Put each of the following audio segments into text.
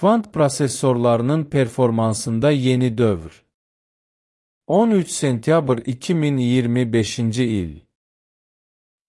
Kvant prosesorlarının performansında yeni dövr. 13 sentyabr 2025-ci il.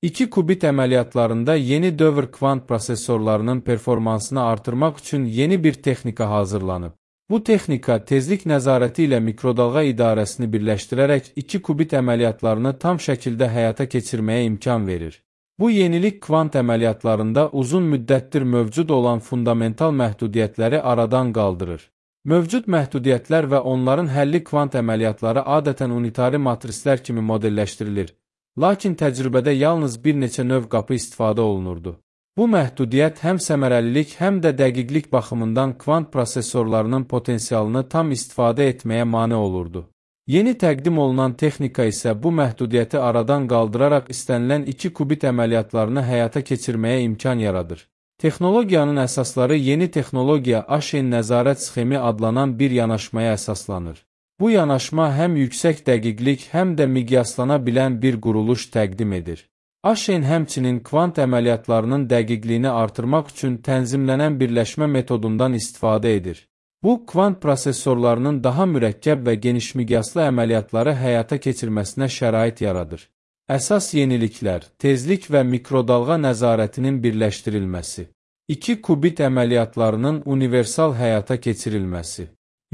2 qubit əməliyyatlarında yeni dövr kvant prosesorlarının performansını artırmaq üçün yeni bir texnika hazırlanıb. Bu texnika tezlik nəzarəti ilə mikrodalğa idarəsini birləşdirərək 2 qubit əməliyyatlarını tam şəkildə həyata keçirməyə imkan verir. Bu yenilik kvant əməliyyatlarında uzun müddətdir mövcud olan fundamental məhdudiyyətləri aradan qaldırır. Mövcud məhdudiyyətlər və onların həlli kvant əməliyyatları adətən unitari matrislər kimi modelləşdirilir, lakin təcrübədə yalnız bir neçə növ qapı istifadə olunurdu. Bu məhdudiyyət həm səmərəlilik, həm də dəqiqlik baxımından kvant prosesorlarının potensialını tam istifadə etməyə mane olurdu. Yeni təqdim olunan texnika isə bu məhdudiyyəti aradan qaldıraraq istənilən 2 qubit əməliyyatlarını həyata keçirməyə imkan yaradır. Texnologiyanın əsasları yeni texnologiya Ash'in nəzarət sxemi adlanan bir yanaşmaya əsaslanır. Bu yanaşma həm yüksək dəqiqlik, həm də miqyaslana bilən bir quruluş təqdim edir. Ash'in həmçinin kvant əməliyyatlarının dəqiqliyini artırmaq üçün tənzimlənən birləşmə metodundan istifadə edir. Bu, kvant prosesorlarının daha mürəkkəb və genişmiqyaslı əməliyyatları həyata keçirməsinə şərait yaradır. Əsas yeniliklər, tezlik və mikrodalğa nəzarətinin birləşdirilməsi, 2 qubit əməliyyatlarının universal həyata keçirilməsi,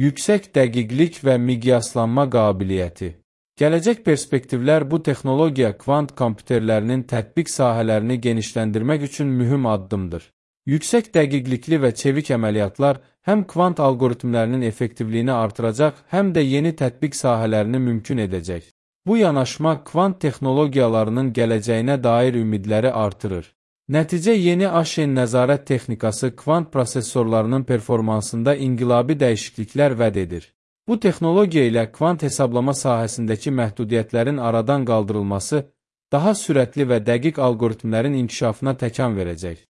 yüksək dəqiqlik və miqyaslanma qabiliyyəti. Gələcək perspektivlər bu texnologiya kvant kompüterlərinin tətbiq sahələrini genişləndirmək üçün mühüm addımdır. Yüksək dəqiqlikli və çevik əməliyyatlar həm kvant algoritmlərinin effektivliyini artıracaq, həm də yeni tətbiq sahələrini mümkün edəcək. Bu yanaşma kvant texnologiyalarının gələcəyinə dair ümidləri artırır. Nəticə yeni Ash'in nəzarət texnikası kvant prosesorlarının performansında inqilabi dəyişikliklər vəd edir. Bu texnologiya ilə kvant hesablama sahəsindəki məhdudiyyətlərin aradan qaldırılması daha sürətli və dəqiq algoritmlərin inkişafına təkan verəcək.